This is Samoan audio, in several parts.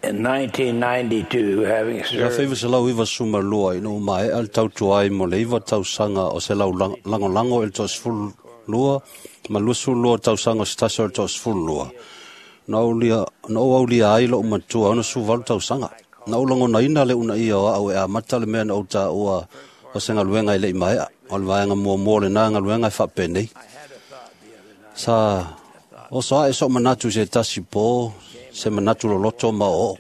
In 1992, having I served 1992 ina ua maea le tautua ai mo le 9 tausaga o se lagolago i le toa-12 ma 22 tausaga o se tasi o le toa-12, na ou aulia ai lo'u matua e 68 tausaga. Na ou lagonaina le uunaia o a'u e amata le mea na ou taua o se galuega e le'i maea. O le vaega muamua o lena galuega e faapenei. Sa oso a'e so'u manatu i se tasi pō, se manatu loloto ma o'oo'o.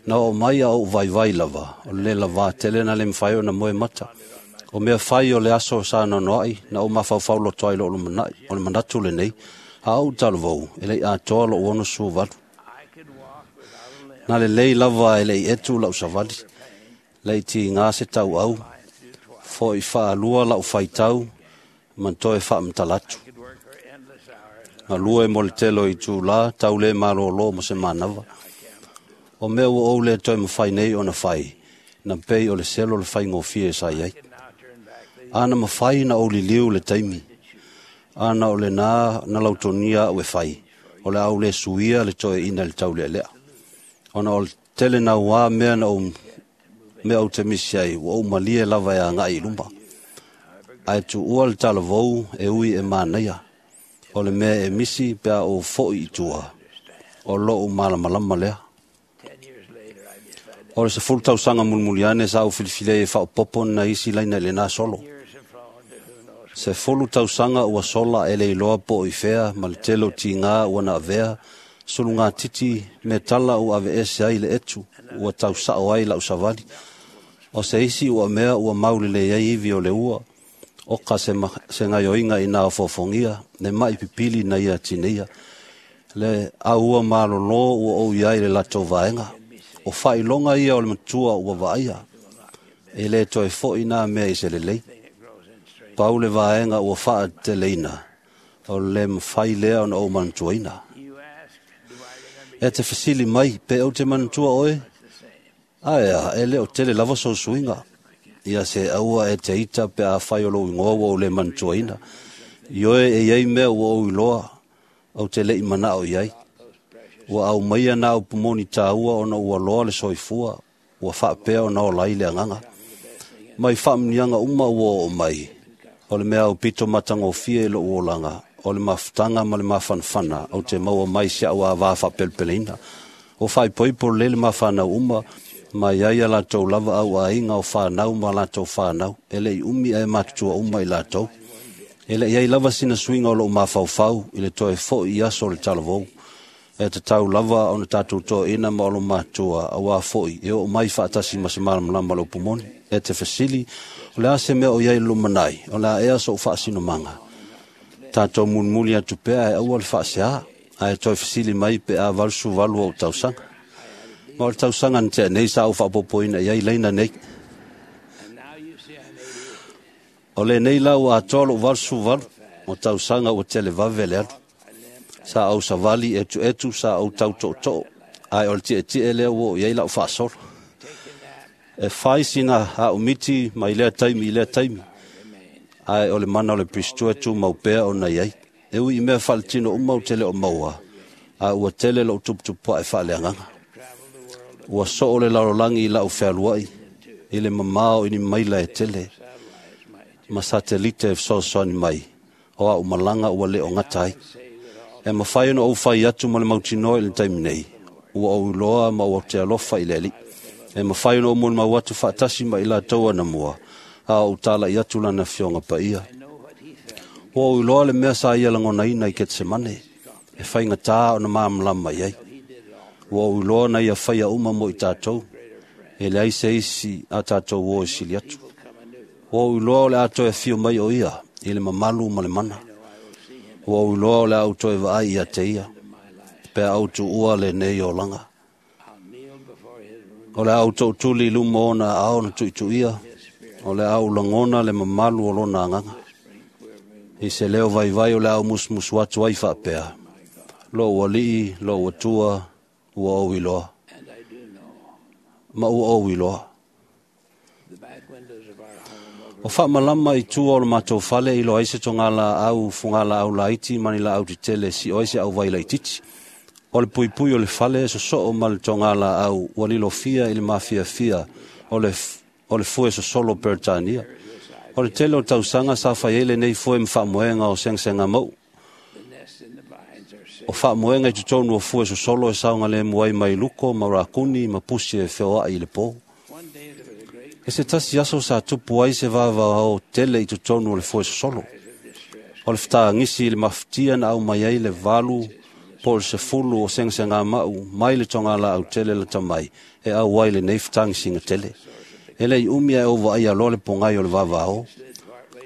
Na oo mai a ou vaivai lava, o le lē lavā tele na le mafai ona moe mata. O mea fai o le aso sa noanoa'i, na ou mafaufau loto ai i lo'u lumanai. O le manatu lenei, a ou talavou, e le'i atoa lo'u 68. Na lelei lava e le'i etu la'u savali, le'i tigā se tau'au, fo'i faalua la'u faitau, ma toe faamatala atu. could work for endless hours. Galue mo le tele o itulā, tau lē malōlō mo se manava. O mea ua ou lē toe mafai nei ona fai, na pei o le selo le faigofie sa i ai. Could now turn back the A na mafai na ou liliu le taimi, ana o lenā na lautogia a'u e fai, o le a ou lē suia le toeaina i le taulealea. Ona o le tele nauā mea na ou mea ou te misi ai, ua ou malie lava e aga'i i luma. Ae tuua le talavou e ui e manaia, o le mea e misi pe a ou fo'i i tua, o lo'u malamalama lea. 10 years later, I decided O le 10 tausaga mulimuli ane sa ou filifili ai e faaopoopo nai isi laina i lenā solo. years have flown to who knows 10 tausaga ua sola e le iloa po o i fea ma le tele o tigā ua na avea, sulugatiti me tala ua aveese ai le etu, ua tausa'o ai la'u savali. O se isi ua mea ua maulelei ai ivi o le ua, oka se, se gaioiga ina ofoofogia, le ma'i pipili na ia tineia. Le aua malolō ua ou i ai le latou vaega. O faailoga ia o le matua ua vaaia, e lē toe fo'i nā mea i se lelei. thing that grows in strength. Pau le vaega ua faateleina, o le lē mafai lea ona ou manatuaina. You ask, do I remember E te fesili mai, pe ou te manatua oe? the same? Ae a, e le o tele lava sou suiga. Ia se aua e te ita pe afai o lou igoa ua ou lē manatuaina. I oe e iai mea ua ou iloa, ou te le'i mana'o i ai. Ua aumaia na upu moni tāua ona ua loa le soifua, ua faapea ona ola ai le agaga. Mai faamuniaga uma ua oo mai, o le mea aupito matagofie i lo'u olaga, o le mafutaga ma le mafanafana ou te maua mai si a'u avā faapelepeleina. O faaipoipo lelei le mafanau uma, ma iai a latou lava au aiga o fanau ma latou fanau, e le'i umi ae matutua uma i latou. E le'i ai lava sina suiga o lo'u mafaufau i le toe fo'i i aso o le talavou. E tatau lava ona tatou toeaina ma olo matua, auā fo'i e oo mai faatasi ma se malamalama o le upu moni. E te fesili, o le a se mea o i ai le lumanai, o le a ea so'u faasinomaga. Tatou mulimuli atu pea e aua le faaseā, ae toe fesili mai pe a 88 ou tausaga. Ma o le tausaga na tea nei sa ou faaopoopoina i ai laina nei. And now you see I'm 88. O lenei la ua atoa lo'u 88, o tausaga ua televave le alu. Sa ou savali etuetu, sa ou tauto'oto'o, ae o le tietie lea ua oo i ai la'u faasolo. Take a nap E fai sina a'umiti mai lea taimi i lea taimi, remains. ae o le mana o le Pirisito e tumau pea ona i ai. E ui i mea faaletino uma ou te le o maua, a ua tele lo'u tuputupua'e faaleagaga. Travel the world Ua so'o le lalolagi i la'u fealua'i, i le mamao i ni maila e tele, satellites might ma satelite e fesoasoani mai, o a'u malaga ua le o gata ai. say with all E mafai ona ou fai atu ma le mautinoa i le taimi nei, ua ou iloa ma ua te alofa i le Alii. E mafai ona ou molimau atu faatasi ma i latou anamua, a o ou tala'i atu lana afioga paia. I know what he felt. Ua ou iloa le mea sa ia lagonaina i Ketsemane, e faigata ona malamalama i ai. He did it all Ua ou iloa na ia faia uma mo i tatou, greater friend. e leai se isi a tatou o e sili atu. Will come anew. Ua ou iloa o le a toe afio mai o ia, i le mamalu ma le mana. I know I will see him Ua ou iloa o le a ou toe vaai ia te ia, in my life. pe a ou tuua lenei olaga. I'll kneel before his room, O le a ou to'utuli i luma ona aao na tu'itu'ia, his spirit, o le a ou lagona le mamalu o lona agaga. whispering, quivering, I se leo vaivai o le a ou musumusu atu ai faapea, my God. lo'u ali'i, lo'u atua, ua ou iloa, And I do know ma ua ou iloa. the back windows of our home O faamalama i tua o le matou fale i loa ai se togalaau fugalaau laiti ma ni laau tetele e si'o ai se auvai laititi. O le puipui o le fale e sosoo ma le togalaau ua lilofia i le mafiafia o le fue sosolo Peretania. O le tele o tausaga sa fai ai lenei fue ma faamoega o segasega mau. O faamoega i totonu o fue sosolo e saogalemu ai mai luko ma rakuni ma pusi e feoai i le po. E se tasi aso sa tupu ai se vavao tele i totonu o le fue sosolo. O le fetagisi i le mafatia na aumai ai le 8 po o le 10 o segasega mau mai le togalaau tele lata mai e auai lenei fetagisiga tele. E lei umi ae ou vaaia loa le pogai o le vavao.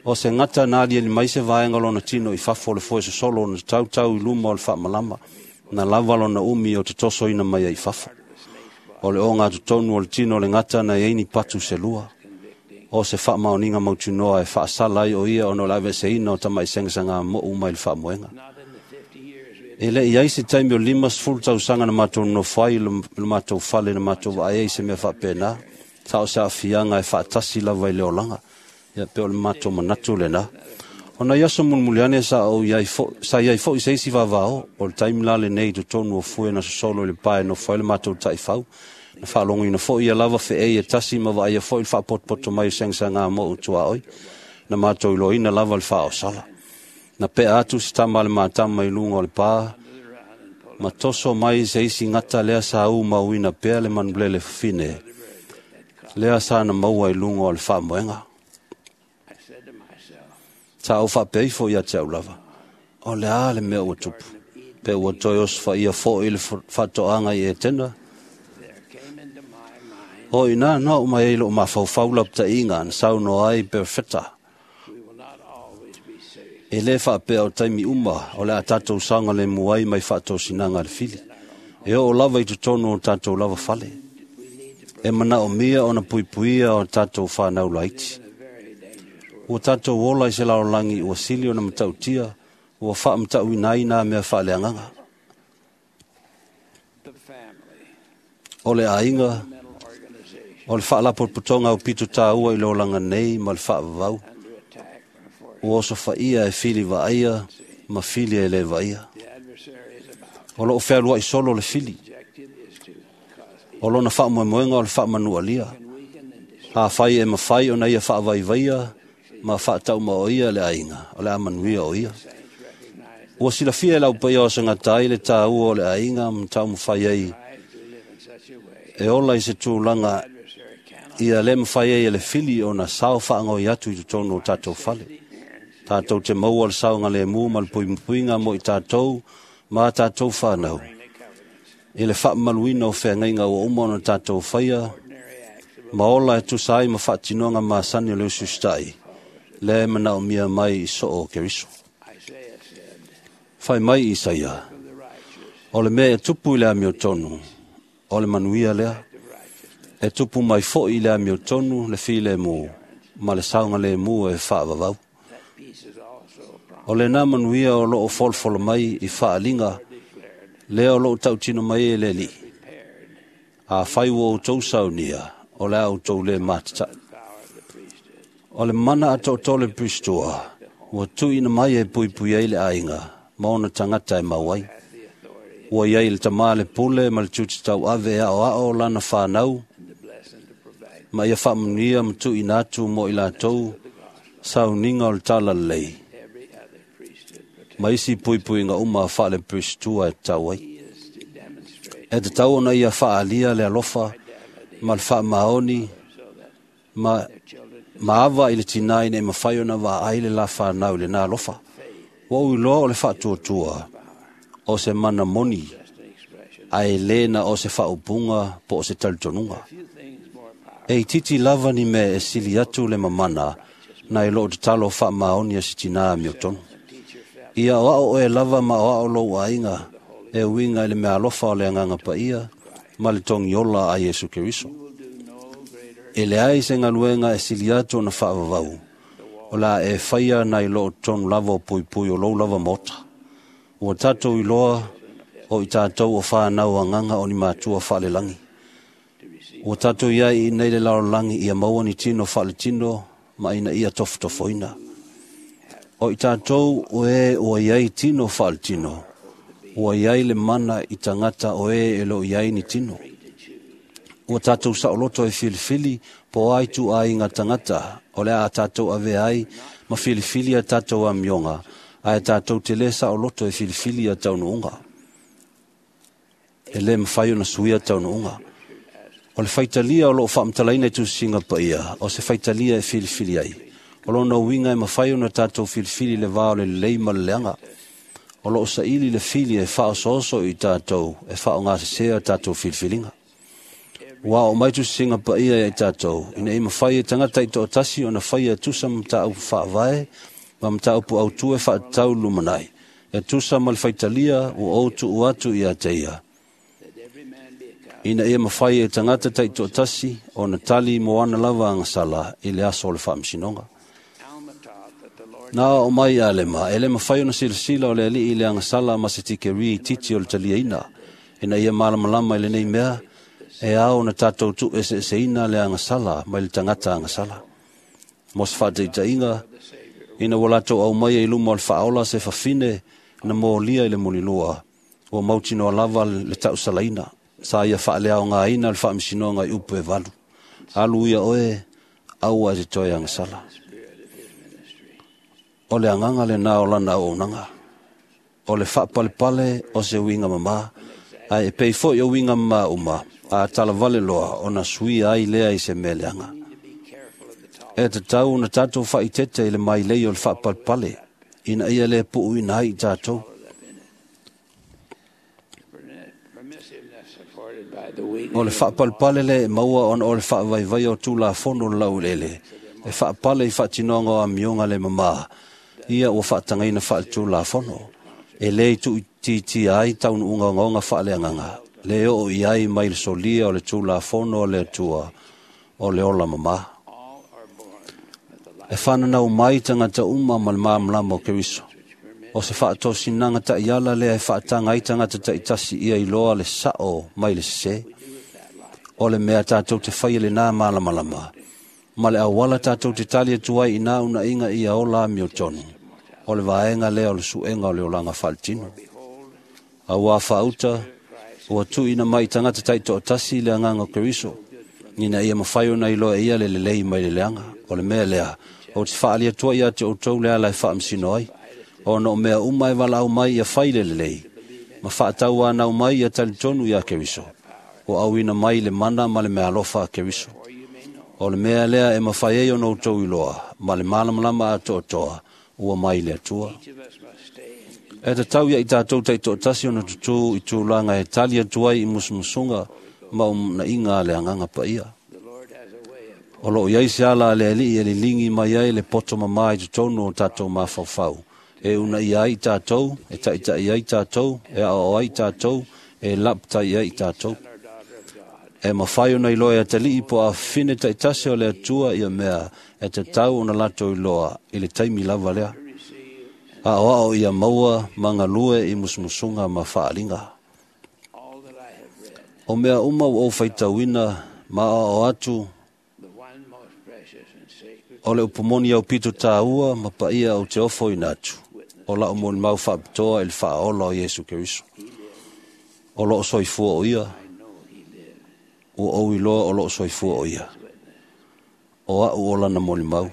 O se gata na aliali mai se vaega o lona tino i fafo o le fue sosolo na tautau i luma o le faamalama, na lava lona umi o te tosoina mai ai i fafo. O le oga totonu o le tino o le gata na iai ni patu se lua. O se faamaoniga mautinoa e faasala ai o ia ona o le aveeseina o tamai segasegamou mai le faamoega. E le i ai se taimi o 50 tausaga na matou nonofo ai i le matou fale na matou vaai ai se mea faapena. Sa o se aafiaga e faatasi lava i le olaga. Ia pe o le matou manatu lena. O nai aso mulimuli ane sa iai foi se isi vavao, o le taimi la lenei i totonu o fue na sosolo i le pae nofo ai le matou taifau. Na faalogoina foi ia lava feei e tasi ma vaaia foi le faapotopoto mai o segasegamou tuaoi. Na matou iloaina lava le faaosala. Na pea atu se tama a le matama i luga o le pā, ma toso mai se isi gata lea sa umauina pea le manulele fafine, lea sa na maua i luga o le faamoega. Sa ou faapea ifo ia te au lava, o le a le mea ua tupu, pe ua toe osofaia foi le faatoaga i Etena. O ina na oo mai ai lou mafaufau lapataiga na saunoa ai Perofeta. E lē faapea o taimi uma o le a tatou saogalemu ai mai faatosinaga a le fili. E oo lava i totonu o tatou lava fale. E manaomia ona puipuia o tatou whanau laiti. Ua tatou ola i se lalolagi ua sili ona matautia, ua faamatauina ai nā mea faaleagaga. O le aiga, o le faalapotopotoga aupito tāua i le olaga nei ma le faavavau, ua osofaia e fili vaaia ma fili e le vaaia. O loo fealuai solo le fili. O lona faamoemoega o le faamanualia. Afai e mafai ona ia faavaivaia ma faataumaoia le aiga, o le amanuia o ia. Ua silafia e lau paia o sangata ai le tāua o le aiga ma taumafai ai e ola i se tulaga ia le mafai ai e le fili ona sao faagoi atu i totonu o tatou fale. Tatou te maua le saogalemu ma le puipuiga mo i tatou ma tatou whanau. I le faamaluina o feagaiga ua uma ona tatou faia, ma ola e tusa ai ma faatinoga masani o le usiusitai, le manaomia mai i soo o Keriso. Fai mai Isaia, o le mea e tupu i le amiotonu, o le manuia lea. E tupu mai foi i le amiotonu le filemu, ma le saogalemu e faavavau. O lena manuia o loo folofolo mai i faaliga, lea o loo tautino mai e le Alii. Afai ua outou saunia, o le a outou le matatai. O le mana atoatoa o le Pristua, ua tuuina mai e puipui ai le aiga, ma ona tagata e mau ai. Ua iai le tamā le pule ma le tiute tauave e aoao lana whanau, ma ia faamanuia ma tuuina atu mo i latou sauniga o le talalelei, ma isi puipuiga uma faale-Pristua e tatau ai. E tatau ona ia faalia le alofa ma le faamaoni ma ava i le tinā ina e mafai ona vaai le la whanau i lena alofa. Ua ou iloa o le faatuatua o se mana moni, ae le na o se faaupuga po o se talitonuga. E itiiti lava ni mea e sili atu le mamana na i loo tatalo faamaoni a se tinā amiotonu. Ia oao oe lava ma oao lou aiga e uiga i le mea alofa o le agaga paia ma le togiola a Iesu Keriso. E leai se galuega e sili atu ona faavavau, o la e faia nai loo totonu lava o puipui o lou lava maota. Ua tatou iloa o i tatou o whanau agaga o ni matua faalelagi. Ua tatou iai i nei le lalolagi ia maua ni tino faaletino ma ina ia tofotofoina. O i tatou o e ua iai tino faaletino, Ua iai le mana i tagata o e e loo iai ni tino. Ua tatou saoloto e filifili po o a ituaiga tagata o le a tatou avea ai ma filifili a tatou amioga, ae tatou te lē saoloto e filifili ia taunuuga. E lē mafai ona suia taunuuga. O le faitalia o loo faamatalaina i tusiga paia, o se faitalia e filifili ai. O lona uiga e mafai ona tatou filifili le va o le lelei ma le leaga. O loo saili le fili e faaosooso i tatou e faaaogasesē tatou filifiliga. Ua oo mai tusiga paia ia i tatou, ina ia mafai e tagata taitoatasi ona faia e tusa ma mataupu faavae ma mataupu autu e faatatau i le lumanai, e tusa ma le faitalia ua ou tuu atu ia te ia. Ina ia mafai e tagata taitoatasi ona tali mo ana lava agasala i le aso o le faamasinoga. Na oo mai Alema, e le mafai ona silasila o le alii i le agasala ma se tikeri itiiti o le taliaina. Ina ia malamalama i lenei mea, e ao ona tatou tuueseeseina le agasala mai le tagata agasala. Mo se faataitaiga, ina ua latou aumaia i luma o le faaola se fafine na molia i le mulilua, ua mautinoa lava le tausalaina. Sa ia faaleaogaina le faamasinoga i upu e valu. Alu ia oe, aua e te toe agasala. O le agaga lena o lana auaunaga. O le faapalepale o se uiga mamā, ae e pei foi o uiga mamā uma, a talavale loa ona suia ai lea i se mea leaga. E tatau ona tatou faaeteete i le mailei o le faapalepale, ina ia le puuina ai i tatou. O le faapalepale lea e maua ona o le faavaivaia o Tulafono o le laueleele, e faapale i faatinoga o amioga le mamā, ia ua faatagaina faaletulafono. E le tuuitiitia ai taunuuga ogaoga faaleagaga, le oo i ai mai le solia o le Tulafono a le Atua o le ola mamā. E fananau mai tagata uma ma le malamalama o Keriso. O se faatosinaga taiala lea e faataga ai tagata taitasi ia iloa le sao mai le sesē. O le mea tatou te faia lenā malamalama, ma le auala tatou te tali atu ai i nā unaiga ia ola amiotonu. O le vaega lea o le suega o le olaga faaletino. Auā faauta, ua tuuina mai i tagata taitoatasi le agaga o Keriso, ina ia mafai ona iloa e ia le lelei mai le leaga. O le mea lea, ou te faaali atu ai ia te outou le ala e faamasino ai, ona o mea uma e valaau mai ia fai le lelei, ma faatauanau mai ia talitonu ia Keriso, ua auina mai le mana ma le meaalofa a Keriso. O le mea lea e mafai ai ona outou iloa, ma le malamalama atoatoa, ua mai le Atua. E tatau ia i tatou taitoatasi ona tutū i tulaga e tali atu ai i musumusuga ma unaiga a le agaga paia. O loo iai se ala a le alii e liligi mai ai le poto mamā i totonu o tatou mafaufau, e unaia ai tatou, e taitai ai tatou, e aoao ai tatou, e lapatai ai tatou. E mafai ona iloa e atalii po o afafine taitasi o le Atua ia mea e tatau ona latou iloa i le taimi lava lea. Aoao ia maua ma galue i musumusuga ma faaaliga. O mea uma ua ou faitauina ma aoao atu, o le upu moni au pito tāua ma paia ou te ofoina atu, o lau molimau faapitoa i le faaola o Iesu Keriso. O loo soifua o ia, ua ou iloa o loo soifua o ia. O au o lana molimau.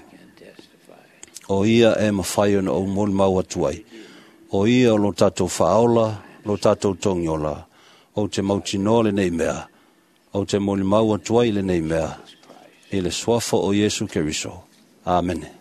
O ia e mafai ona ou molimau atu ai. O ia o lo tatou faaola, lo tatou togiola, ou te mautinoa lenei mea, ou te molimau atu ai lenei mea, i le suafa o Iesu Keriso. Amene.